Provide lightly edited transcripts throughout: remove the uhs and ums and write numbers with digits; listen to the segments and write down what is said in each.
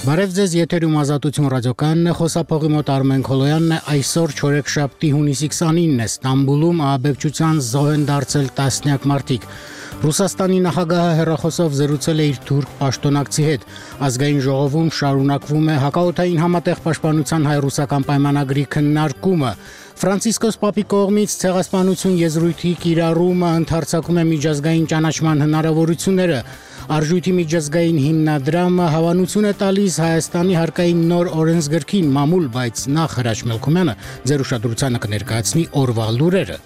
Բարև ձեզ, եթերում Ազատություն ռադիոկայանն է, խոսափողի մոտ Արմեն Քոլոյանն է, այսօր չորեքշաբթի հունիսի 29-ն է, Ստամբուլում ահաբեկչության զոհ են դարձել տասնյակ մարդիկ։ Ռուսաստանի նախագահը հեռախոսով զրուցել է իր թուրք պաշտոնակցի հետ։ Ազգային ժողովում շարունակվում է հակաօդային համատեղ պաշտպանության հայ-ռուսական պայմանագրի քննարկումը։ Ֆրանցիսկոս Պապի կողմից ցեղասպանություն եզրույթի կիրառումը ընդարձակում է միջազգային ճանաչման հնարավորությունները։ Արժույթի միջազգային հիմնադրամը հավանություն է տալիս Հայաստանի հարկային նոր օրենսգրքին մամուլ, բայց նախ Հրաչ Մելքումյանը ձեր ուշադրությանը կներկայացնի օրվա լուրերը։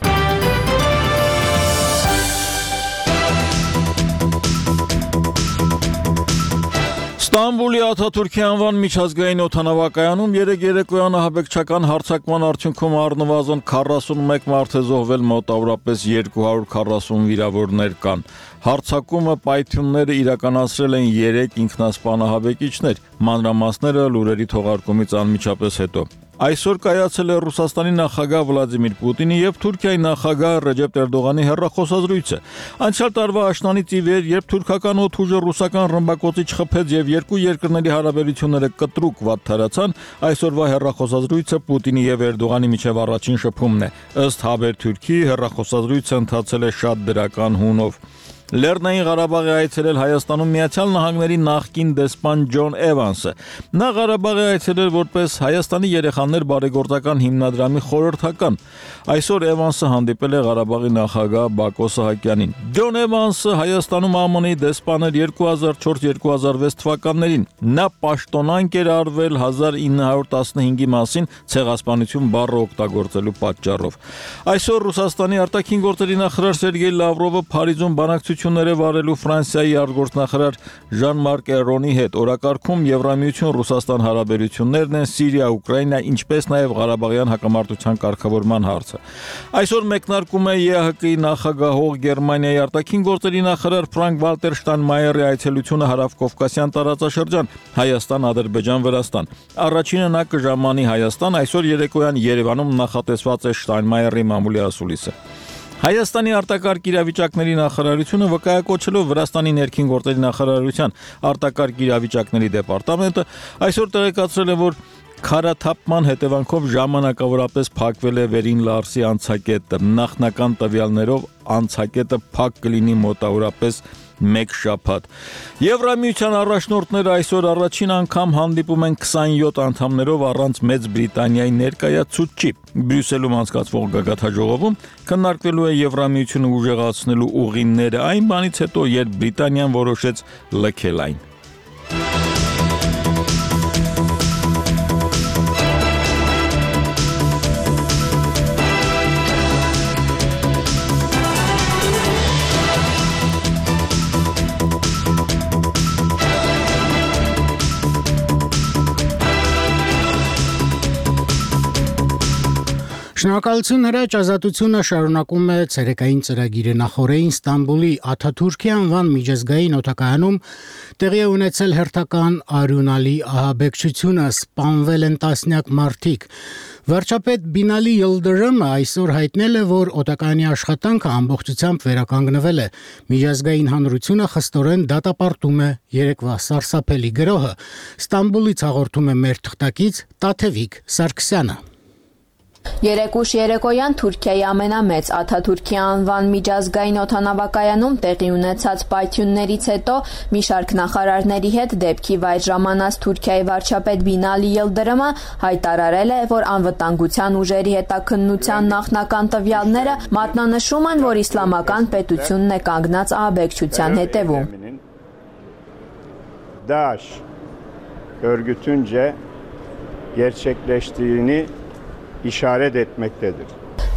Ստամբուլի Աթաթուրքի անվան միջազգային օդանավակայանում երեկոյան ահաբեկչական հարձակման արդյունքում առնվազն 41 մարդ է զոհվել, մոտավորապես 240 վիրավորներ կան։ Հարձակումը պայթյունները իրականացրել են 3 ինքնասպան ահաբեկիչներ, մանրամասները լուրերի թողարկումից անմիջապես հետո։ Այսօր կայացել է Ռուսաստանի նախագահ Վլադիմիր Պուտինի եւ Թուրքիայի նախագահ Ռեջեփ Էրդողանի հեռախոսազրույցը։ Անցյալ տարվա աշնանից ի վեր, երբ թուրքական օդուժը ռուսական ռմբակոծիչ խփեց եւ երկու երկրների հարաբերությունները կտրուկ վատթարացան, այսօրվա հեռախոսազրույցը Պուտինի եւ Էրդողանի միջև առաջին շփումն է։ Ըստ Haberturk-ի հեռախոսազրույցը ընթացել է շատ դրական հունով։ Լեռնային Ղարաբաղի այցելել Հայաստանում Միացյալ Նահանգների նախկին դեսպան Ջոն Էվանսը։ Նա Ղարաբաղի այցելել որպես Հայաստանի երեխաներ բարեգործական հիմնադրամի խորհրդական։ Այսօր Էվանսը հանդիպել է Ղարաբաղի նախագահ Բակո Սահակյանին։ Ջոն Էվանսը Հայաստանում ԱՄՆ-ի դեսպան էր 2004-2006 թվականներին։ Նա պաշտոնանկ էր արվել 1915-ի մասին ցեղասպանություն բառը օգտագործելու պատճառով։ Այսօր Ռուսաստանի արտաքին գործերի նախարար Սերգեյ Լավրովը Փարիզում բանակցություններ է վարելու Ֆրանսիայի արտգործնախարար Ժան-Մարկ Էրոնի հետ։ Օրակարգում Եվրամիություն-Ռուսաստան հարաբերություններն են, Սիրիա, Ուկրաինա, ինչպես նաև Ղարաբաղյան հակամարտության կարգավորման հարցը։ Այսօր մեկնարկում է ԵԱՀԿ-ի նախագահող Գերմանիայի արտաքին գործերի նախարար Ֆրանկ Վալտեր Շտայնմայերի այցելությունը հարավկովկասյան տարածաշրջան՝ Հայաստան, Ադրբեջան, Վրաստան։ Առաջինը նա կժամանի Հայաստան, այսօր երեկոյան Երևանում նախատեսված է Շտայնմայերի մամուլի ասուլիսը։ Հայաստանի արտակարգ իրավիճակների նախարարությունը վկայակոչելով Վրաստանի ներքին գործերի նախարարության արտակարգ իրավիճակների դեպարտամենտը այսօր տեղեկացրել է, որ քարաթափման հետևանքով ժամանակավորապես փակվել է Վերին Լարսի անցակետը։ Նախնական տվյալներով անցակետը փակ կլինի մոտավորապես 1 շաբաթ։ Եվրամիության առաջնորդները այսօր առաջին անգամ հանդիպում են 27 անդամներով առանց Մեծ Բրիտանիայի ներկայացուցչի։ Բրյուսելում անցկացվող գագաթնաժողովում քննարկվելու է Եվրամիությունը ուժեղացնելու ուղիները այն բանից հետո, երբ Բրիտանիան որոշեց լքել այն։ Շնորհակալություն Հրաչ, Ազատությունը շարունակում է ցերեկային ծրագիրը։ Նախորդին Ստամբուլի Աթաթուրքի անվան միջազգային օդակայանում տեղի է ունեցել հերթական արյունալի ահաբեկչությունը, սպանվել են տասնյակ մարդիկ։ Վարչապետ Բինալի Յիլդրամը այսօր հայտնել է, որ օդակայանի աշխատանքը ամբողջությամբ վերականգնվել է։ Միջազգային հանրությունը խստորեն դատապարտում է երեկվա սարսափելի գրոհը։ Ստամբուլից հաղորդում է մեր թղթակից Տաթևիկ Սարգսյանը։ Երեկուշ երեկոյան Թուրքիայի ամենամեծ Աթաթուրքի անվան միջազգային օդանավակայանում տեղի ունեցած պայթյուններից հետո մի շարք նախարարների հետ դեպքի վայր ժամանած Թուրքիայի վարչապետ Բինալի Յիլդրամը հայտարարել է, որ անվտանգության ուժերի հետաքննության նախնական տվյալները մատնանշում են, որ իսլամական պետությունն է կանգնած ահաբեկչության հետևում։ DAEŞ örgütünce gerçekleştiğini işaret etmektedir.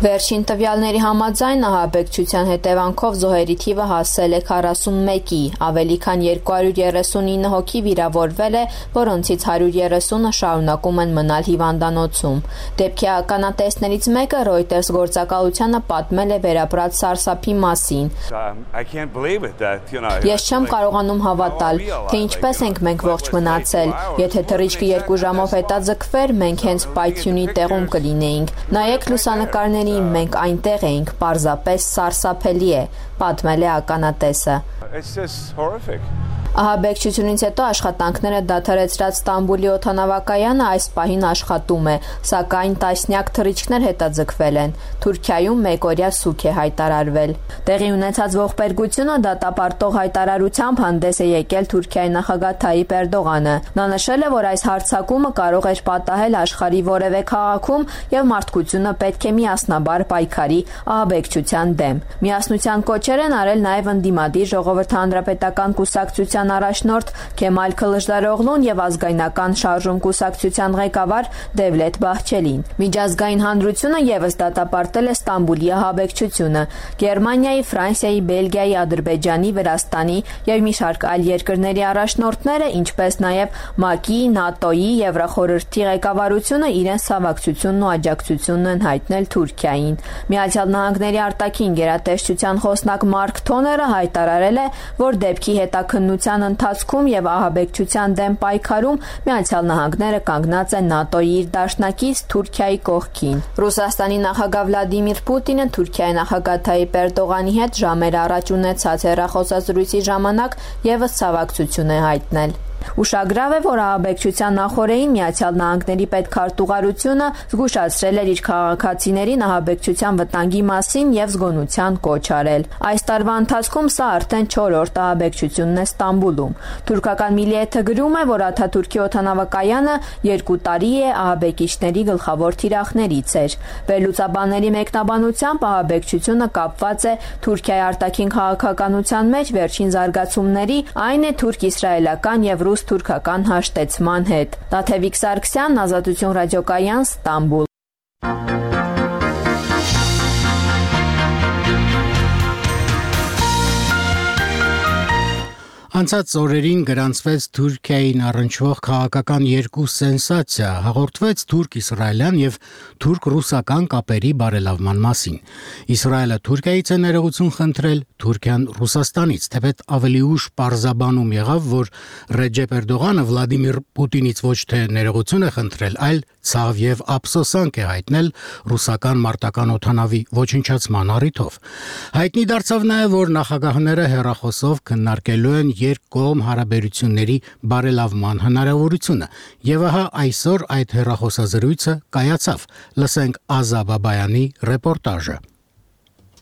Վերջին տվյալների համաձայն ահաբեկչության հետևանքով զոհերի թիվը հասել է 41-ի, ավելի քան 239 հոգի վիրավորվել է, որոնցից 130-ը շարունակում են մնալ հիվանդանոցում։ Դեպքի ականատեսներից մեկը Reuters գործակալությանը պատմել է վերապրած սարսափի մասին։ Ես չեմ կարողանում հավատալ, թե ինչպես ենք մենք ողջ մնացել։ Եթե թռիչքը 2 ժամով հետաձգվեր, մենք հենց պայթյունի տեղում կլինեինք։ Նայեք լուսանկարների, մենք այնտեղ էինք, պարզապես սարսափելի է, պատմել է ականատեսը։ Ահաբեկչությունից հետո աշխատանքները դադարեցրած Ստամբուլի օդանավակայանը այս պահին աշխատում է, սակայն տասնյակ թռիչքներ հետաձգվել են։ Թուրքիայում մեկօրյա սուգ է հայտարարվել։ Տեղի ունեցած ողբերգությունը դատապարտող հայտարարությամբ հանդես է եկել Թուրքիայի նախագահ Թայիպ Էրդողանը։ Նա նշել է, որ այս հարձակումը կարող էր պատահել աշխարհի որևէ քաղաքում եւ մարդկությունը պետք է միասնաբար պայքարի ահաբեկչության դեմ։ Միասնության կոչեր են արել նաեւ ընդդիմադիր Ժողովրդի հանրապետական կուսակցության առաջնորդ Քեմալ Քլիչդարօղլուն եւ ազգայնական շարժում կուսակցության ղեկավար Դևլետ Բահչելին։ Միջազգային հանրությունը եւս դատապարտել է Ստամբուլի ահաբեկչությունը։ Գերմանիայի, Ֆրանսիայի, Բելգիայի, Ադրբեջանի, Վրաստանի եւ մի շարք այլ երկրների առաջնորդները, ինչպես նաեւ ՄԱԿ-ի, ՆԱՏՕ-ի, Եվրախորհրդի ղեկավարությունը իրենց ցավակցությունն ու աջակցությունն են հայտնել Թուրքիային։ Միացյալ Նահանգների արտաքին գերատեսչության խոսնակ Մարկ Թոները հայտարարել է, որ դեպքի հետաքննության ընթացքում եւ ահաբեկչության դեմ պայքարում Միացյալ Նահանգները կանգնած է ՆԱՏՕ-ի իր դաշնակից Թուրքիայի կողքին։ Ռուսաստանի նախագահ Վլադիմիր Պուտինը Թուրքիայի նախագահ Թայիպ Էրդողանի հետ ժամեր առաջ ունեցած հեռախոսազրույցի ժամանակ եւս ցավակցություն է հայտնել։ Ուշագրավ է, որ ահաբեկչության նախօրեին Միացյալ Նահանգների պետքարտուղարությունը զգուշացրել էր իր քաղաքացիներին ահաբեկչության վտանգի մասին եւ զգոնության կոչ արել։ Այս տարվա ընթացքում սա արդեն 4-րդ ահաբեկչությունն է Ստամբուլում։ Թուրքական Միլիեթը գրում է, որ Աթաթուրքի օդանավակայանը 2 տարի է ահաբեկիչների գլխավոր թիրախներից էր։ Վերլուծաբանների մեկնաբանությամբ ահաբեկչությունը կապված է Թուրքիայի արտաքին քաղաքականության մեջ վերջին զարգացումների, այն է թուրք-իսրայելական եւ ռուս-թուրքական հաշտեցման հետ։ Տաթևիկ Սարգսյան, Ազատություն ռադիոկայան, Ստամբուլ։ Անցած օրերին գրանցվեց Թուրքիային առնչվող քաղաքական 2 սենսացիա, հաղորդվեց թուրք-իսրայելյան եւ թուրք-ռուսական կապերի բարելավման մասին։ Իսրայելը Թուրքիայից է ներողություն խնդրել, Թուրքիան Ռուսաստանից, թեպետ ավելի ուշ պարզաբանում եղավ, որ Ռեջեփ Էրդողանը Վլադիմիր Պուտինից ոչ թե ներողություն է խնդրել, այլ ցավ եւ ափսոսանք է հայտնել ռուսական մարտական օդանավի ոչնչացման առիթով։ Հայտնի դարձավ նաեւ, որ նախագահները հեռախոսով քննարկելու են երկկողմ հարաբերությունների բարելավման հնարավորությունը, եւ ահա այսօր այդ հեռախոսազրույցը կայացավ։ Լսենք Ազա Բաբայանի ռեպորտաժը։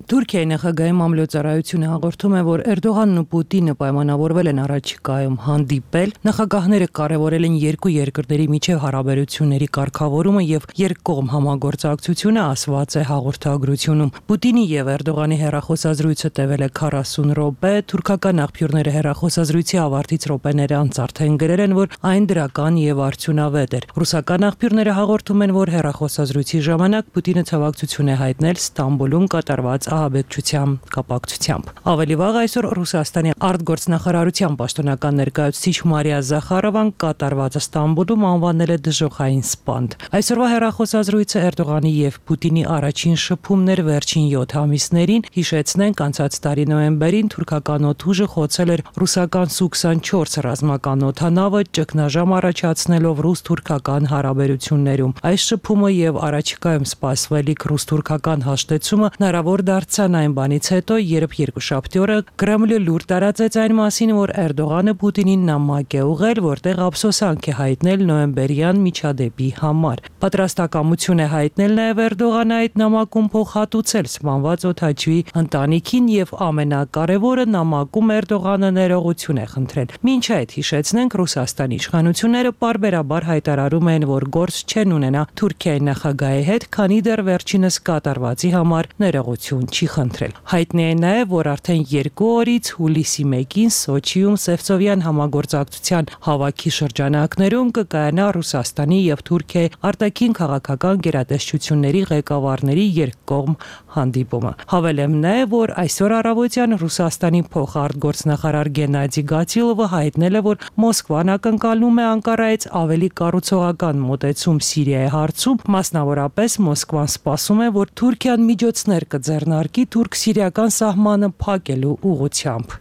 Թուրքիայի նախագահի մամլոյցարայությունը հաղորդում է, որ Էրդողանն ու Պուտինը պայմանավորվել են առաջիկայում հանդիպել, նախագահները կարևորել են երկու երկրների միջև հարաբերությունների կարգավորումը եւ երկկողմ համագործակցությունը, ասված է հաղորդագրությունում։ Պուտինի եւ Էրդողանի հեռախոսազրույցը տևել է 40 րոպե, թուրքական աղբյուրները հեռախոսազրույցի ավարտից րոպեներ անց արդեն գրել են, որ այն դրական եւ արդյունավետ էր։ Ռուսական աղբյուրները հաղորդում են, որ հեռախոսազրույցի ժամանակ Պուտինը ցավակցություն է հայտնել Ստամբուլում կատարված ահաբեկչության կապակցությամբ։ Ավելի վաղ այսօր Ռուսաստանի արտգործնախարարության պաշտոնական ներկայացուցիչ Մարիա Զախարովան կատարվածը Ստամբուլում անվանել է դժոխային սպանդ։ Այսօրվա հեռախոսազրույցը Էրդողանի եւ Պուտինի առաջին շփումներ վերջին 7 ամիսներին, հիշեցնենք, անցած տարի նոյեմբերին թուրքական օդուժը խոցել էր ռուսական Su-24 ռազմական օդանավը, ճգնաժամ առաջացնելով ռուս-թուրքական հարաբերություններում։ Այս շփումը եւ առաջիկայում սպասվելիք ռուս-թուրքական հաշտեցումը հնարավոր դարձան այն բանից հետո, երբ երկուշաբթի օրը Կրեմլը լուր տարածեց այն մասին, որ Էրդողանը Պուտինին նամակ է ուղղել, որտեղ ափսոսանք է հայտնել նոյեմբերյան միջադեպի համար։ Պատրաստակամություն է հայտնել նաև Էրդողանը այդ նամակում փոխհատուցել սպանված օդաչուի ընտանիքին եւ ամենակարևորը նամակում Էրդողանը ներողություն է խնդրել։ Մինչ այդ հիշեցնենք, Ռուսաստանի իշխանությունները պարբերաբար հայտարարում են, որ գործ չեն ունենա Թուրքիայի նախագահի հետ, քանի դեռ վերջինս կատարվածի համար ներողություն չի խնդրել։ Հայտնի է նաև, որ արդեն 2 օրից հուլիսի 1-ին Սոչիում Սևծովյան համագործակցության հավաքի շրջանակներում կկայանա Ռուսաստանի եւ Թուրքիայի արտաքին քաղաքական գերատեսչությունների ղեկավարների երկկողմ հանդիպումը։ Հավելեմ նաև, որ այսօր առավոտյան Ռուսաստանի փոխարտգործնախարար Գենադի Գատիլովը հայտնել է, որ Մոսկվան ակնկալում է Անկարայից ավելի կառուցողական մոտեցում Սիրիայի հարցում, մասնավորապես Մոսկվան սպասում է, որ Թուրքիան միջոցներ կձեռնարկի թուրք-սիրիական սահմանը փակելու ուղղությամբ։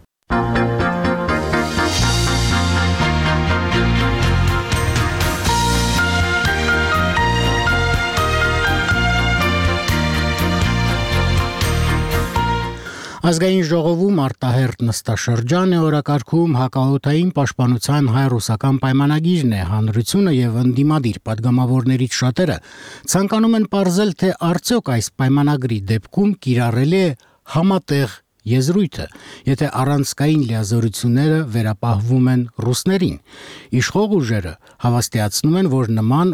Ազգային ժողովում արտահերտ նստաշրջան է օրակարգում հակաօդային պաշտպանության հայ-ռուսական պայմանագիրն է, հանրությունը եւ ընդդիմադիր падգամավորներից շատերը ցանկանում են պարզել, թե արդյոք այս պայմանագրի դեպքում կիրառելի է համատեղ եզրույթը, եթե առանցքային լիազորությունները վերապահվում են ռուսներին։ Իշխող ուժերը հավաստիացնում են, որ նման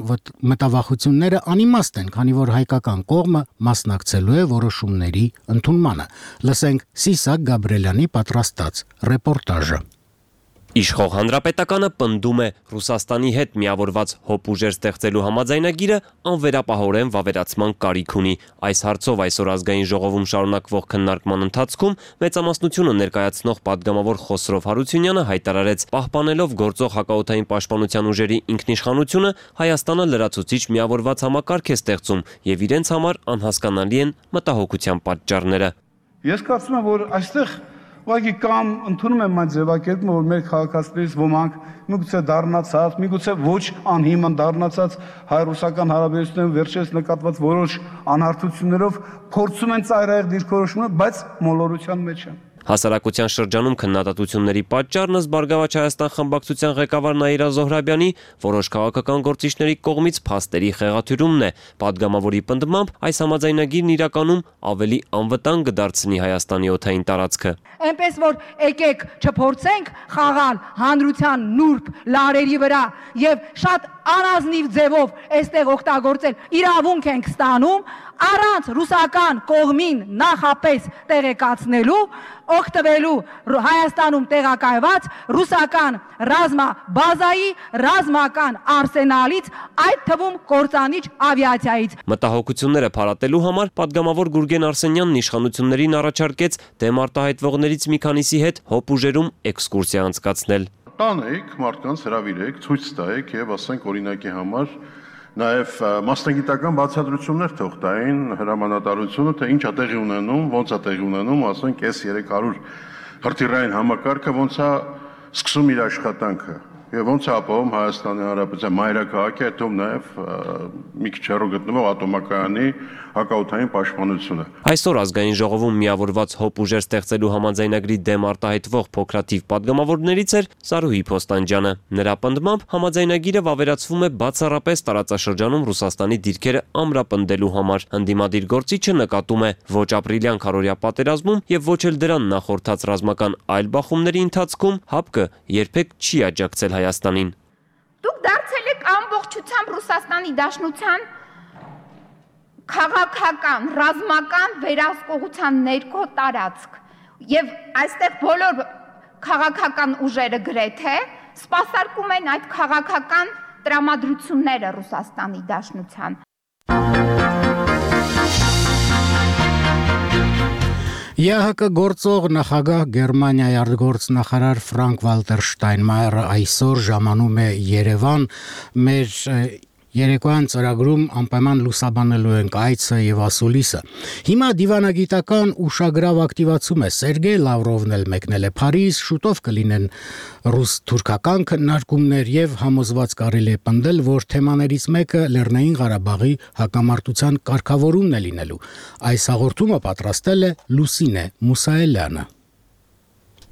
մտավախությունները անիմաստ են, քանի որ հայկական կողմը մասնակցելու է որոշումների ընդունմանը։ Լսենք Սիսակ Գաբրելյանի պատրաստած ռեպորտաժը։ Իշխող հանրապետականը պնդում է Ռուսաստանի հետ միավորված հոբ ուժեր ստեղծելու համաձայնագիրը անվերապահորեն վավերացման կարիք ունի։ Այս հարցով այսօր ազգային ժողովում շարունակվող քննարկման ընթացքում մեծամասնությունը ներկայացնող падգամավոր Խոսրով Հարությունյանը հայտարարեց, պահպանելով գործող հակաօդային պաշտպանության ուժերի ինքնիշխանությունը, Հայաստանը լրացուցիչ միավորված համակարգ է ստեղծում եւ իրենց համար անհասկանալի են մտահոգության պատճառները։ Ես կարծում եմ, որ այստեղ Ուղղակի կամ ընդունում եմ այն ձևակերպումը, որ մեր քաղաքացիներից ոմանք միգուցե դառնացած, միգուցե ոչ անհիմն դառնացած հայ-ռուսական հարաբերություններում վերջերս նկատված որոշ անհարթություններով փորձում են ծայրահեղ դիրքորոշումներ, բայց մոլորության մեջ են։ Հասարակության շրջանում քննադատությունների պատճառն ըստ Բարգավաճ Հայաստան խմբակցության ղեկավար Նաիրա Զոհրաբյանի որոշ քաղաքական գործիչների կողմից փաստերի խեղաթյուրումն է։ Падգամավորի պնդմամբ այս համաձայնագիրն իրականում ավելի անվտանգ կդարձնի Հայաստանի օդային տարածքը։ Այնպես որ եկեք չփորձենք խաղալ հանրության նուրբ լարերի վրա եւ շատ անազնիվ ձևով այստեղ օգտագործել իրավունք ենք ստանում առանց ռուսական կողմին նախապես տեղեկացնելու օգտվելու Հայաստանում տեղակայված ռուսական ռազմաբազայի ռազմական արսենալից, այդ թվում կործանիչ ավիացիայից։ Մտահոգությունները փարատելու համար падգամավոր Գուրգեն Արսենյանն իշխանություններին առաջարկեց դեմ արտահայտվողներից մի քանիսի հետ հոբ ուժերում էքսկուրսիա անցկացնել։ Տանեք, մարդկանց հրավիրեք, ցույց տայեք եւ ասենք օրինակի համար նաև մասնագիտական բացատրություններ թող տային հրամանատարությունը, թե ինչ է տեղի ունենում, ոնց է տեղի ունենում, ասենք S300 հրթիռային համակարգը ոնց է սկսում իր աշխատանքը եւ ոնց է ապահովում Հայաստանի Հանրապետության մայրաքաղաքի, այդ թվում նաև մի քիչ հեռու գտնվող ատոմակայանի հակաօդային պաշտպանությունը։ Այսօր ազգային ժողովում միավորված հոբ ուժեր ստեղծելու համաձայնագրի դեմ արտահայտվող փոքրաթիվ падգամավորներից էր Սարուհի Փոստանջյանը։ Նրա պնդմամբ համաձայնագիրը վավերացվում է բացառապես տարածաշրջանում Ռուսաստանի դիրքերը ամրապնդելու համար։ Ընդդիմադիր գործիչը նկատում է ոչ ապրիլյան քարոզիա պատերազմում եւ ոչ էլ դրան նախորդած ռազմական այլ բախումների ընթացքում ՀԱՊԿ երբեք չի աջակցել Հայաստանին։ Դուք դարձել եք ամբողջությամբ Ռուսաստանի Դաշնության քաղաքական, ռազմական վերահսկողության ներքո տարածք եւ այստեղ բոլոր քաղաքական ուժերը գրեթե սպասարկում են այդ քաղաքական տրամադրությունները Ռուսաստանի Դաշնության։ ԵԱՀԿ գործող նախագահ Գերմանիայի արտգործնախարար Ֆրանկ Վալտեր Շտայնմայերը այսօր ժամանում է Երևան մեր Երեկոյան ծրագրում անպայման լուսաբանելու ենք այցը եւ ասուլիսը։ Հիմա դիվանագիտական ուշագրավ ակտիվացում է Սերգեյ Լավրովն էլ մեկնել է Փարիզ, շուտով կլինեն ռուս-թուրքական քննարկումներ եւ համոզված կարելի է պնդել, որ թեմաներից մեկը Լեռնային Ղարաբաղի հակամարտության կարգավորումն է լինելու։ Այս հաղորդումը պատրաստել է Լուսինե Մուսայելյանը։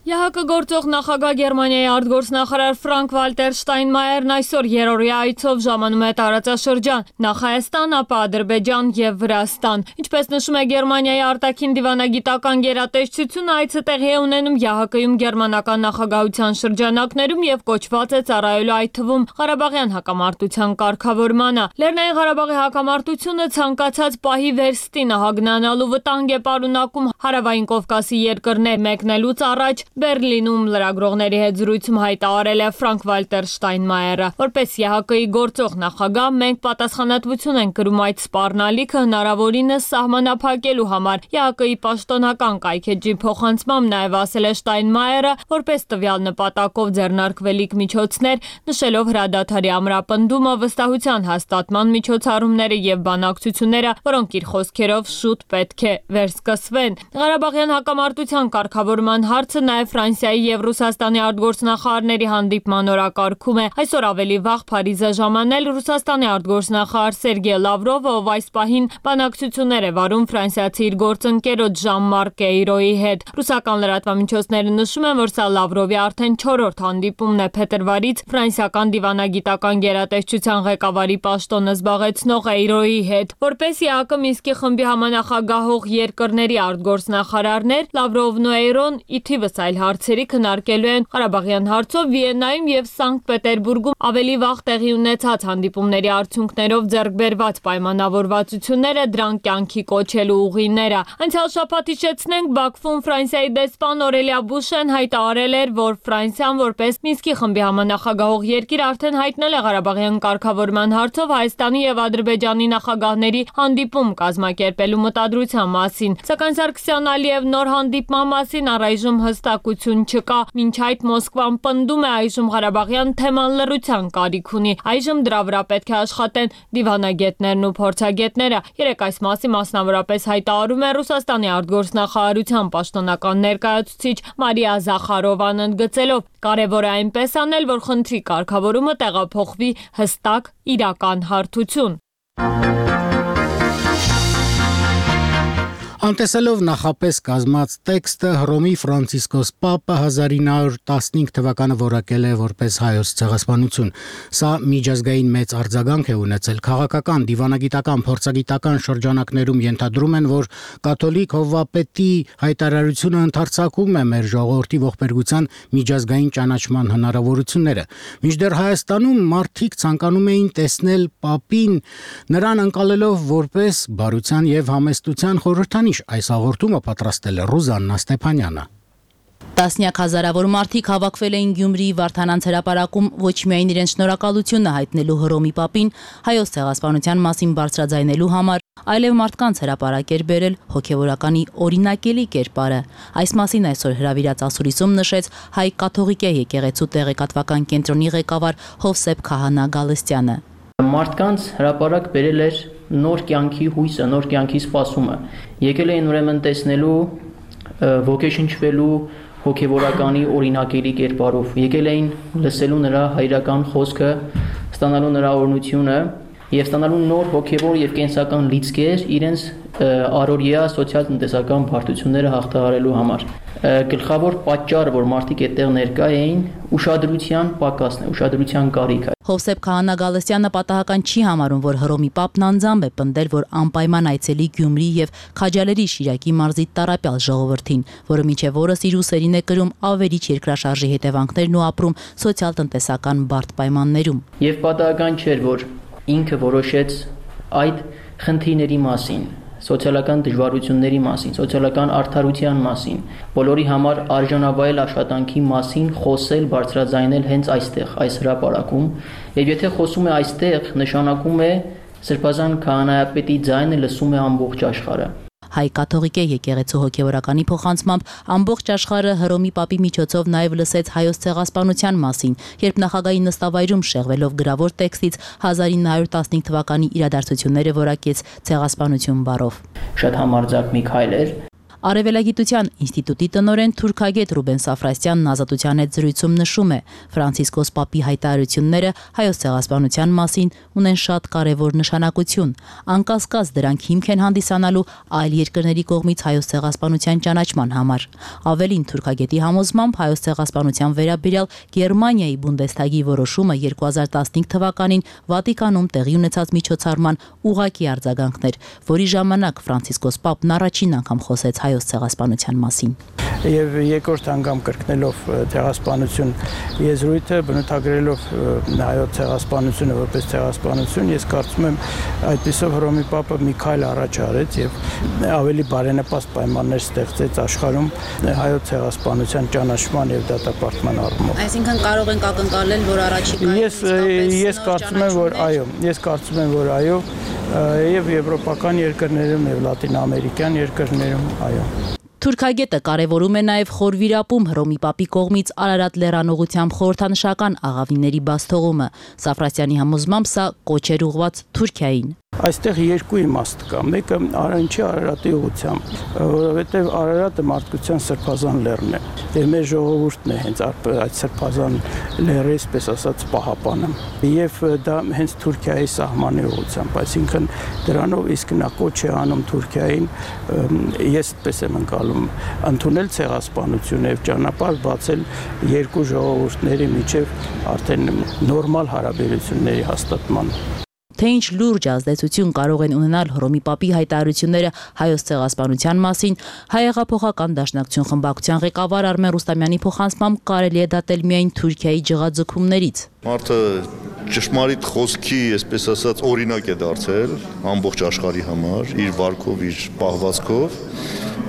ԵԱՀԿ գործող նախագահ Գերմանիայի արտգործնախարար Ֆրանկ Վալտեր Շտայնմայերն այսօր երրորդյա այցով ժամանում է տարածաշրջան, նախ Հայաստան, ապա Ադրբեջան եւ Վրաստան։ Ինչպես նշում է Գերմանիայի արտաքին դիվանագիտական գերատեսչությունը, այցը տեղի է ունենում ԵԱՀԿ-ում գերմանական նախագահության շրջանակներում եւ կոչված է ծառայելու այդ թվում Ղարաբաղյան հակամարտության կարգավորմանը։ Լեռնային Ղարաբաղի հակամարտությունը ցանկացած պահի վերստին հագնանալու վտանգ է պարունակում Հարավային Կովկասի երկրներ մեկնելուց առաջ Բերլինում լրագրողների հետ զրույցում հայտարարել է Ֆրանկ Վալտեր Շտայնմայերը, որպես ԵԱՀԿ-ի գործող նախագահ մենք պատասխանատվություն ենք կրում այդ սպառնալիքը հնարավորինս սահմանափակելու համար։ ԵԱՀԿ-ի պաշտոնական կայքէջի փոխանցմամբ նաև ասել է Շտայնմայերը, որպես տվյալ նպատակով ձեռնարկվելիք միջոցներ, նշելով հրադադարի ամրապնդումը, վստահության հաստատման միջոցառումները եւ բանակցությունները, որոնք իր խոսքերով շուտ պետք է վերսկսվեն։ Ղարաբաղյան հակամարտության կարգավորման հարցը նաև նաև Ֆրանսիայի եւ Ռուսաստանի արտգործնախարարների հանդիպման օրակարգում է։ Այսօր ավելի վաղ Փարիզ է ժամանել Ռուսաստանի արտգործնախարար Սերգեյ Լավրովը, ով այս պահին բանակցություններ է վարում ֆրանսիացի իր գործընկերոջ Ժան-Մարկ Էյրոյի հետ։ Ռուսական լրատվամիջոցները նշում են, որ սա Լավրովի արդեն 4-րդ հանդիպումն է փետրվարից ֆրանսիական դիվանագիտական գերատեսչության ղեկավարի պաշտոնը զբաղեցնող Էյրոյի հետ, որպես ԵԱԿ Մինսկի խմբի համանախագահող երկրների արտգործնախարարներ Լավրովն ու Էյրոն ի թիվս այլ հարցերի քննարկելու են Ղարաբաղյան հարցով Վիեննայում եւ Սանկտ Պետերբուրգում ավելի վաղ տեղի ունեցած հանդիպումների արդյունքներով ձեռք բերված պայմանավորվածությունները, դրանք կյանքի կոչելու ուղիները։ Անցյալ շաբաթ հիշեցնենք, Բաքվում Ֆրանսիայի դեսպան Օրելիա Բուշեն հայտարարել էր, որ Ֆրանսիան որպես Մինսկի խմբի համանախագահող երկիր արդեն հայտնել է Ղարաբաղյան կարգավորման հարցով Հայաստանի եւ Ադրբեջանի նախագահների հանդիպում կազմակերպելու մտադրության մասին, սակայն Սարգսյան Ալիև նոր հանդիպման մասին առայժմ հստակություն չկա։ Մինչ այդ Մոսկվան պնդում է այժմ Ղարաբաղյան թեման լռության կարիք ունի։ Այժմ դրա վրա պետք է աշխատեն դիվանագետներն ու փորձագետները։ Երեք այս մասին մասնավորապես հայտարարում է Ռուսաստանի արտգործնախարարության պաշտոնական ներկայացուցիչ Մարիա Զախարովան ընդգծելով. կարևոր է այնպես անել, որ խնդրի կարգավորումը տեղափոխվի հստակ իրական հարթություն։ Անտեսելով նախապես կազմած տեքստը Հռոմի Ֆրանցիսկոս Պապը 1915 թվականը որակել է որպես հայոց ցեղասպանություն։ Սա միջազգային մեծ արձագանք է ունեցել։ Քաղաքական, դիվանագիտական, փորձագիտական շրջանակներում ենթադրում են, որ կաթոլիկ հովվապետի հայտարարությունը ընդարձակում է մեր ժողովրդի ողբերգության միջազգային ճանաչման հնարավորությունները։ Մինչդեռ Հայաստանում մարդիկ ցանկանում էին տեսնել Պապին, նրան ընկալելով որպես բարության եւ համեստության խորհրդանիշ։ Այս հաղորդումը պատրաստել է Ռուզաննա Ստեփանյանը։ Տասնյակ հազարավոր մարդիկ հավաքվել էին Գյումրիի Վարդանանց հրապարակում ոչ միայն իրենց շնորհակալությունը հայտնելու Հռոմի Պապին, հայոց ցեղասպանության մասին բարձրաձայնելու համար, այլև մարդկանց հրապարակ էր բերել հոգևորականի օրինակելի կերպարը։ Այս մասին այսօր հրավիրած ասուլիսում նշեց հայ կաթողիկե եկեղեցու տեղեկատվական կենտրոնի ղեկավար Հովսեփ Քահանա Գալստյանը։ Մարդկանց հրապարակ բերել էր նոր կյանքի հույսը, նոր կյանքի սպասումը։ Եկել էին ուրեմն տեսնելու, ոգեշնչվելու հոգևորականի օրինակելի կերպարով։ Եկել էին լսելու նրա հայրական խոսքը, ստանալու նրա օրհնությունը եւ ստանալու նոր հոգևոր եւ կենսական լիցքեր իրենց առօրյա սոցիալ-տնտեսական բարդությունները հաղթահարելու համար։ Գլխավոր պատճառը, որ մարդիկ այդտեղ ներկա էին, ուշադրության պակասն է, ուշադրության կարիքը։ Հովսեփ Քահանա Գալստյանը պատահական չի համարում, որ Հռոմի Պապն անձամբ է պնդել, որ անպայման այցելի Գյումրի եւ Քաջալերի Շիրակի մարզի տառապյալ ժողովրդին, որը միջև օրս իր ուսերին է կրում ավերիչ երկրաշարժի հետևանքներն ու ապրում սոցիալ-տնտեսական բարդ պայմաններում։ Եվ պատահական չէր, որ ինքը որոշեց այդ խնդիրների մասին, սոցիալական դժվարությունների մասին, սոցիալական արդարության մասին, բոլորի համար արժանավայել աշխատանքի մասին խոսել, բարձրաձայնել հենց այստեղ, այս հրապարակում, եւ եթե խոսում է այստեղ, նշանակում է Սրբազան քահանայապետի ձայնը լսում է ամբողջ աշխարհը։ Հայ կաթողիկե եկեղեցու հոգևորականի փոխանցմամբ ամբողջ աշխարհը Հռոմի Պապի միջոցով նաև լսեց հայոց ցեղասպանության մասին, երբ նախագահի նստավայրում շեղվելով գրավոր տեքստից 1915 թվականի իրադարձությունները որակեց ցեղասպանություն բառով։ Շատ համարձակ մի քայլ էր։ Արևելագիտության ինստիտուտի տնօրեն թուրքագետ Ռուբեն Սաֆրասյանն Ազատության հետ զրույցում նշում է. Ֆրանցիսկոս Պապի հայտարարությունները հայոց ցեղասպանության մասին ունեն շատ կարևոր նշանակություն։ Անկասկած դրանք հիմք են հանդիսանալու այլ երկրների կողմից հայոց ցեղասպանության ճանաչման համար։ Ավելին, թուրքագետի համոզմամբ հայոց ցեղասպանության վերաբերյալ Գերմանիայի Բունդեսթագի որոշումը 2015 թվականին Վատիկանում տեղի ունեցած միջոցառման ուղղակի արձագանքն էր, որի ժամանակ Ֆրանցիսկոս Պապն առաջին անգամ խոսեց հայոց ցեղասպանության մասին։ Եվ երկրորդ անգամ կրկնելով ցեղասպանություն եզրույթը, բնութագրելով հայոց ցեղասպանությունը որպես ցեղասպանություն, ես կարծում եմ այդպիսով Հռոմի Պապը մի քայլ առաջ արեց եւ ավելի բարենպաստ պայմաններ ստեղծեց աշխարհում հայոց ցեղասպանության ճանաչման եւ դատապարտման առումով։ Այսինքն կարող ենք ակնկալել, որ առաջիկայում ես կարծում եմ, որ այո, եւ եվրոպական երկրներում եւ լատինամերիկյան երկրներում, այո։ Թուրքագետը կարևորում է նաև խորվիրապում Հռոմի Պապի կողմից Արարատ լեռան խորհրդանշական աղավինների բաց թողումը։ Սաֆրասյանի համոզմամբ սա կոչ էր ուղղված Թուրքիային։ Այստեղ երկու իմաստ կա, մեկը Արարատի Արարատի ուղղությամբ, որովհետև Արարատը մարդկության սրբազան լեռն է, եւ մեր ժողովուրդն է հենց այդ սրբազան լեռի, այսպես ասած, պահապանը, եւ դա հենց Թուրքիայի սահմանի ուղղությամբ, այսինքն դրանով իսկ նա կոչ է անում Թուրքիային, ես այդպես եմ ընկալում, ընդունել ցեղասպանություն եւ ճանապարհ բացել երկու ժողովուրդների միջև արդեն նորմալ հարաբերությունների հաստատման։ Թե ինչ լուրջ ազդեցություն կարող են ունենալ Հռոմի Պապի հայտարարությունները հայոց ցեղասպանության մասին, հայեղափոխական դաշնակցություն խմբակցության ղեկավար Արմեն Ռուստամյանի փոխանցմամբ կարելի է դատել միայն Թուրքիայի ջղաձգումներից։ Մարդը ճշմարիտ խոսքի, այսպես ասած, օրինակ է դարձել ամբողջ աշխարհի համար, իր վարքով, իր պահվածքով,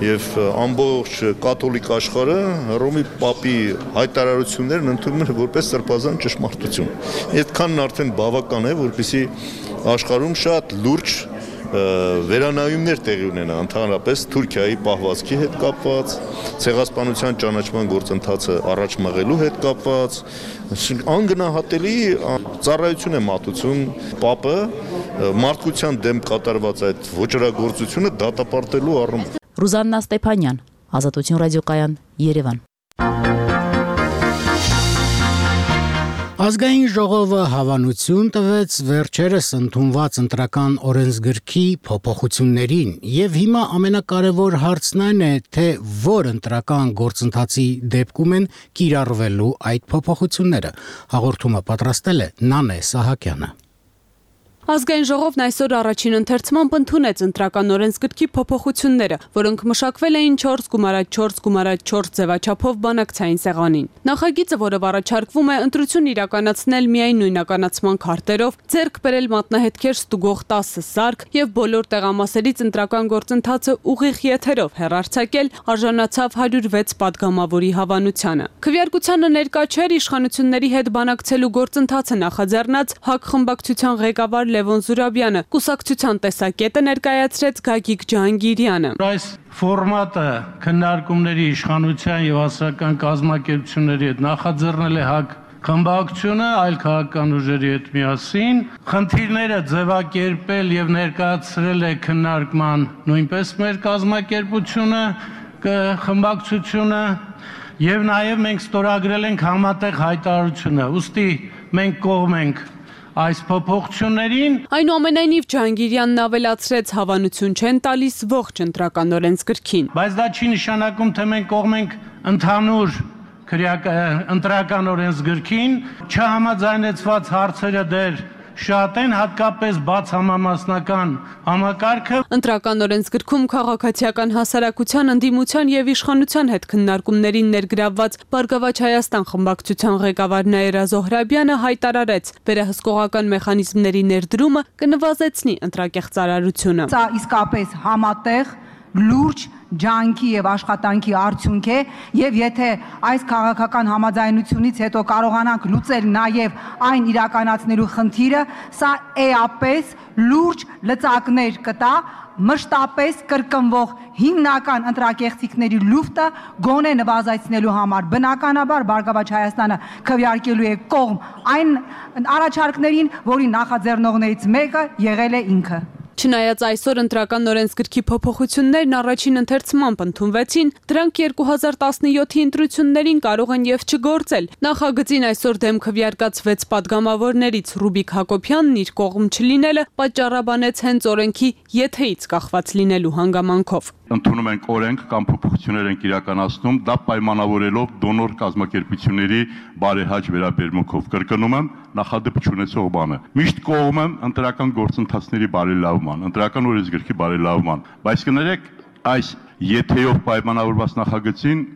եւ ամբողջ կաթոլիկ աշխարհը Հռոմի Պապի հայտարարություններն ընդունում են որպես սրբազան ճշմարտություն։ Այդքանն արդեն բավական է, որպեսզի աշխարհում շատ լուրջ վերանայումներ տեղի ունենա ընդհանրապես Թուրքիայի պահվածքի հետ կապված, ցեղասպանության ճանաչման գործընթացը առաջ մղելու հետ կապված, անգնահատելի ծառայություն է մատուցում Պապը մարդկության դեմ կատարված այդ ոճրագործությունը դատապարտելու առումով։ Ռուզաննա Ստեփանյան, Ազատություն ռադիոկայան, Երևան։ Ազգային ժողովը հավանություն տվեց վերջերս ընդունված ընտրական օրենսգրքի փոփոխություններին եւ հիմա ամենակարևոր հարցն այն է, թե որ ընտրական գործընթացի դեպքում են կիրառվելու այդ փոփոխությունները։ Հաղորդումը պատրաստել է Նանե Սահակյանը։ Ազգային ժողովն այսօր առաջին ընթերցմամբ ընդունեց ընտրական օրենսգրքի փոփոխությունները, որոնք մշակվել էին 4x4x4 ձևաչափով բանակցային սեղանին։ Նախագիծը, որով առաջարկվում է ընտրություն իրականացնել միայն նույնականացման քարտերով, ձեռք բերել մատնահետքեր ստուգող 10 սարք եւ բոլոր տեղամասերից ընտրական գործընթացը ուղիղ եթերով հեռարձակել, արժանացավ 106 падգամավորի հավանությանը։ Քվեարկությանը ներկա չէր իշխանությունների հետ բանակցելու գործընթացը նախաձեռնած ՀԱԿ խմբակցության ղեկավար Լևոն Զուրաբյանը, կուսակցության տեսակետը ներկայացրեց Գագիկ Ջահանգիրյանը։ Այս ֆորմատը քննարկումների իշխանության եւ հասարակական կազմակերպությունների հետ նախաձեռնել է ՀԱԿ խմբակցությունը այլ քաղաքական ուժերի հետ միասին, խնդիրները ձևակերպել եւ ներկայացրել է քննարկման նույնպես մեր կազմակերպությունը, խմբակցությունը եւ նաեւ մենք ստորագրել ենք համատեղ հայտարարությունը, ուստի մենք կողմ ենք այս փոփոխություններին։ Այնուամենայնիվ Ջահանգիրյանն ավելացրեց հավանություն չեն տալիս ողջ ընտրական օրենսգրքին։ Բայց դա չի նշանակում, թե մենք կողմ ենք ընդհանուր ընտրական օրենսգրքին, չհամաձայնեցված հարցերը դեռ շատ են, հատկապես բաց համամասնական համակարգը։ Ընտրական օրենսգրքում քաղաքացիական հասարակության ընդդիմության եւ իշխանության հետ քննարկումներին ներգրավված Բարգավաճ Հայաստան խմբակցության ղեկավար Նաիրա Զոհրաբյանը հայտարարեց, վերահսկողական մեխանիզմների ներդրումը կնվազեցնի ընտրակեղծարարությունը։ Սա իսկապես համատեղ լուրջ ջանքի եւ աշխատանքի արդյունք է եւ եթե այս քաղաքական համաձայնությունից հետո կարողանանք լուծել նաեւ այն իրականացնելու խնդիրը, սա էապես լուրջ լծակներ կտա մշտապես կրկնվող հիմնական ընտրակեղծիքների լուֆտը գոնե նվազեցնելու համար։ Բնականաբար Բարգավաճ Հայաստանը քվեարկելու է կողմ այն առաջարկներին, որի նախաձեռնողներից մեկը եղել է ինքը։ Չնայած այսօր ընտրական օրենսգրքի փոփոխություններն առաջին ընթերցմամբ ընդունվեցին, դրանք 2017-ի ընտրություններին կարող են եւ չգործել։ Նախագծին այսօր դեմ քվեարկած 6 падգամավորներից Ռուբիկ Հակոբյանն իր կողմ չլինելը պատճառաբանեց հենց օրենքի եթեից կախված լինելու հանգամանքով։ Ընդունում ենք օրենք կամ փոփոխություններ ենք իրականացնում, դա պայմանավորելով դոնոր կազմակերպությունների բարեհաճ վերաբերմունքով։ Կրկնում եմ, նախադեպ չունեցող բանը։ Միշտ կողմ եմ ընտրական գործընթացների բարելավման, ընտրական օրենսգրքի բարելավման, բայց կներեք, այս եթեով պայմանավորված նախագծին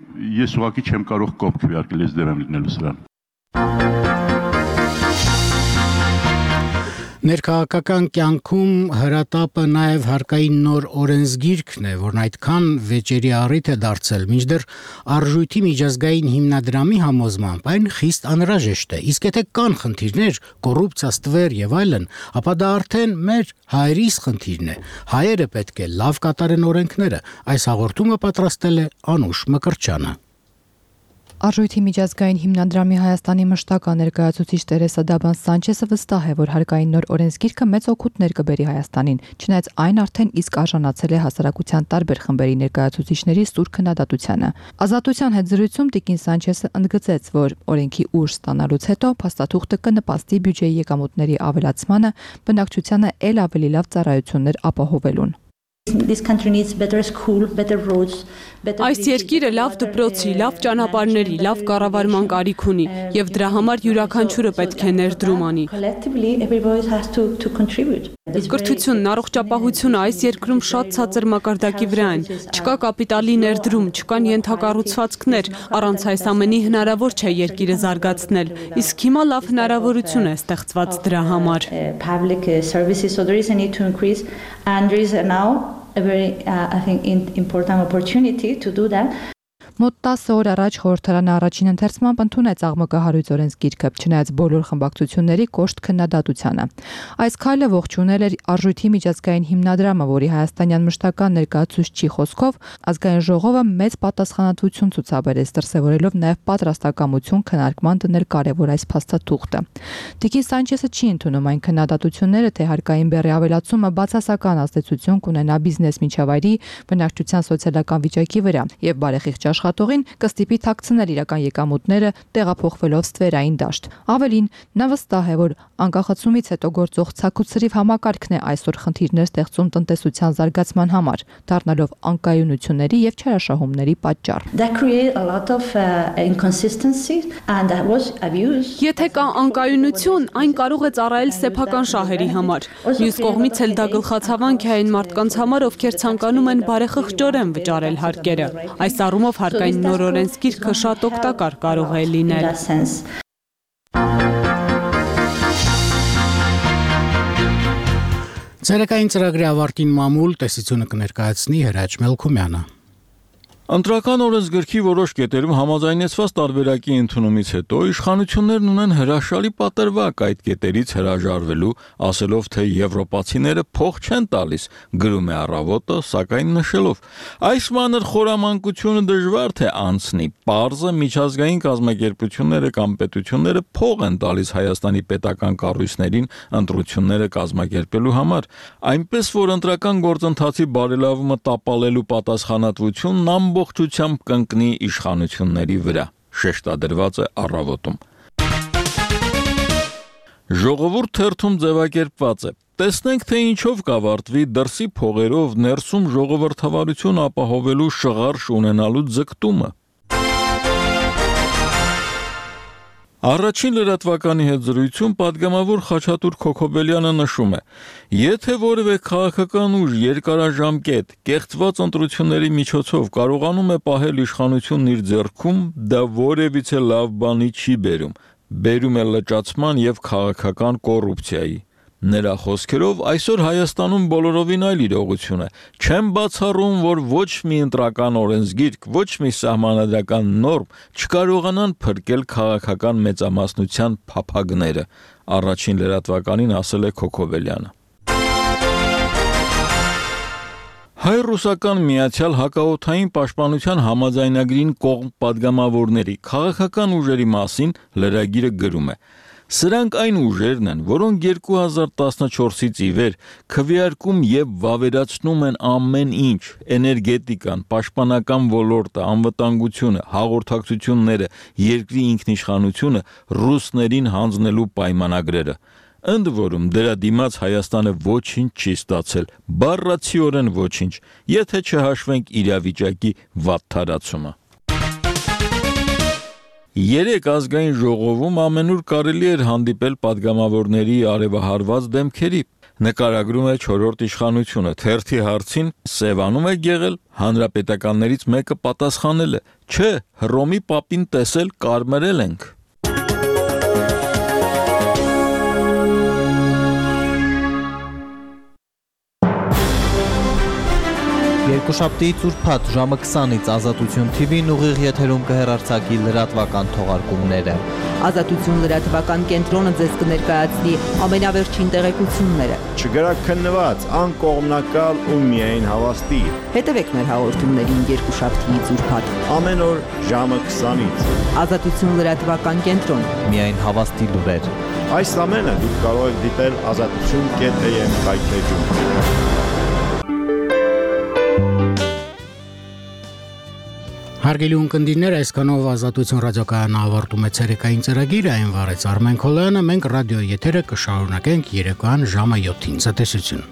ես ուղղակի չեմ կարող կողմ քվեարկել, ես դեմ եմ լինելու սրան։ Ներքաղաքական կյանքում հրատապը նաև հարկային նոր օրենսգիրքն է, որն այդքան վեճերի առիթ է դարձել, մինչդեռ արժույթի միջազգային հիմնադրամի համոզմամբ այն խիստ անհրաժեշտ է։ Իսկ եթե կան խնդիրներ, կոռուպցիա, ստվեր եւ այլն, ապա դա արդեն մեր հայրիս խնդիրն է։ Հայերը պետք է լավ կատարեն օրենքները։ Այս հաղորդումը պատրաստել է Անուշ Մկրտչյանը։ Արժույթի միջազգային հիմնադրամի Հայաստանի մշտական ներկայացուցիչ Տերեսա Դաբան Սանչեսը վստահ է, որ հարկային նոր օրենսգիրքը մեծ օգուտներ կբերի Հայաստանին, չնայած այն արդեն իսկ արժանացել է հասարակության տարբեր խմբերի ներկայացուցիչների սուր քննադատությանը։ Ազատության հետ զրույցում տիկին Սանչեսը ընդգծեց, որ օրենքի ուժ ստանալուց հետո փաստաթուղթը կնպաստի բյուջեի եկամուտների ավելացմանը, բնակչությանը ել ավելի լավ ծառայություններ ապահովելուն։ This country needs better school, better roads, better. Այս երկիրը լավ դպրոցի, լավ ճանապարհների, լավ կառավարման կարիք ունի, եւ դրա համար յուրաքանչյուրը պետք է ներդրում անի։ Collectively, everybody has to contribute. Կրթությունն, առողջապահությունը այս երկրում շատ ցածր մակարդակի վրա են։ Չկա կապիտալի ներդրում, չկան ենթակառուցվածքներ, առանց այս ամենի հնարավոր չէ երկիրը զարգացնել։ Իսկ հիմա լավ հնարավորություն է ստեղծված դրա համար։ Public services, so there is a need to increase, and there is now a very, I think, important opportunity to do that. Մոտ 10 օր առաջ խորհրդարանը առաջին ընթերցմամբ ընդունեց աղմկահարույց օրենսգիրքը, չնայած բոլոր խմբակցությունների կոշտ քննադատությանը։ Այս քայլը ողջունել էր Արժույթի միջազգային հիմնադրամը, որի հայաստանյան մշտական ներկայացուցչի խոսքով ազգային ժողովը մեծ պատասխանատվություն ցուցաբերեց, դրսևորելով նաև պատրաստակամություն քննարկման դնել կարևոր այս փաստաթուղթը։ Տիկին Սանչեսը չի ընդունում այն քննադատությունները, թե հարկային բեռի ավելացումը բացասական ազդեցություն կունենա բիզնես միջավայրի, բնակչության սոցիալական վիճակի վրա եւ բարեխիղճ աշխատողին կստիպի թաքցնել իրական եկամուտները տեղափոխվելով ստվերային դաշտ։ Ավելին, նա վստահ է, որ անկախացումից հետո գործող ցակուցրիվ համակարգն է այսօր խնդիրներ ստեղծում տնտեսության զարգացման համար, դառնալով անկայունությունների եւ չարաշահումների պատճառ։ That create a lot of inconsistencies and that was abused. Եթե կա անկայունություն, այն կարող է ծառայել սեփական շահերի համար։ Մյուս կողմից էլ դա գլխացավանք է այն մարդկանց համար, ովքեր ցանկանում են բարեխղճորեն վճարել հարկերը։ Այս առումով հարկային նոր օրենսգիրքը շատ օգտակար կարող է լինել։ Ցերեկային ծրագրի ավարտին մամուլ տեսությունը կներկայացնի Հրաչ Մելքումյանը։ Ընտրական օրենսգրքի որոշ կետերում համաձայնեցված տարբերակի ընդունումից հետո իշխանություններն ունեն հրաշալի պատրվակ այդ կետերից հրաժարվելու, ասելով, թե եվրոպացիները փող չեն տալիս, գրում է Առավոտը, սակայն նշելով. այս մանր խորամանկությունը դժվար թե անցնի, պարզը միջազգային կազմակերպությունները կամ պետությունները փող են տալիս Հայաստանի պետական կառույցներին ընտրությունները կազմակերպելու համար, այնպես որ ընտրական գործընթացի բարելավումը տապալելու պատասխանատվությունն ամբողջությամբ կընկնի իշխանությունների վրա, շեշտադրված է Առավոտում։ Ժողովուրդ թերթում ձևակերպված է. տեսնենք, թե ինչով կավարտվի դրսի փողերով ներսում ժողովրդավարություն ապահովելու շղարշ ունենալու ձգտումը։ Առաջին լրատվականի հետ զրույցում պատգամավոր Խաչատուր Քոքոբելյանը նշում է. եթե որևէ քաղաքական ուժ երկարաժամկետ կեղծված ընտրությունների միջոցով կարողանում է պահել իշխանությունն իր ձեռքում, դա որևիցե լավ բանի չի բերում է լճացման եւ քաղաքական կոռուպցիայի։ Նրա խոսքերով այսօր Հայաստանում բոլորովին այլ իրողություն է։ Չեմ բացառում, որ ոչ մի ընտրական օրենսգիրք, ոչ մի սահմանադրական նորմ չկարողանան փրկել քաղաքական մեծամասնության փափագները, առաջին լրատվականին ասել է Քոքոբելյանը։ Հայ-ռուսական միացյալ հակաօդային պաշտպանության համաձայնագրին կողմ պատգամավորների քաղաքական ուժերի մասին լրագիրը գրում է. Սրանք այն ուժերն են, որոնք 2014-ից ի վեր քվեարկում եւ վավերացնում են ամեն ինչ՝ էներգետիկան, պաշտպանական ոլորտը, անվտանգությունը, հաղորդակցությունները, երկրի ինքնիշխանությունը ռուսներին հանձնելու պայմանագրերը։ Ընդ որում դրա դիմաց Հայաստանը ոչինչ չի ստացել, բառացիորեն ոչինչ, եթե չհաշվենք իրավիճակի վատթարացումը։ Երեք ազգային ժողովում ամենուր կարելի էր հանդիպել պատգամավորների արևահարված դեմքերի։ Նկարագրում է 4-րդ իշխանությունը, թերթի հարցին Սևանում է եղել, հանրապետականներից մեկը պատասխանել է. չէ, Հռոմի պապին տեսել կարմրել ենք։ Երկուշաբթի ծուրփաթ ժամը 20-ից Ազատություն TV-ն ուղիղ եթերում կհեռարձակի լրատվական թողարկումները։ Ազատություն լրատվական կենտրոնը ձեզ կներկայացնի ամենավերջին տեղեկությունները։ Չգրաքննված, անկողմնակալ ու միայն հավաստի։ Հետևեք մեր հաղորդումներին երկուշաբթի ծուրփաթ։ Ամեն օր ժամը 20-ից։ Ազատություն լրատվական կենտրոն։ Միայն հավաստի լուրեր։ Այս ամենը դուք կարող եք դիտել azatutun.am կայքեջում։ Հարգելի ունկնդիրներ, այսքանով Ազատություն ռադիոկայանը ավարտում է ցերեկային ծրագիրը, այն վարեց Արմեն Քոլոյանը, մենք ռադիո եթերը կշարունակենք երեկոյան ժամը 7-ին։ Ցտեսություն։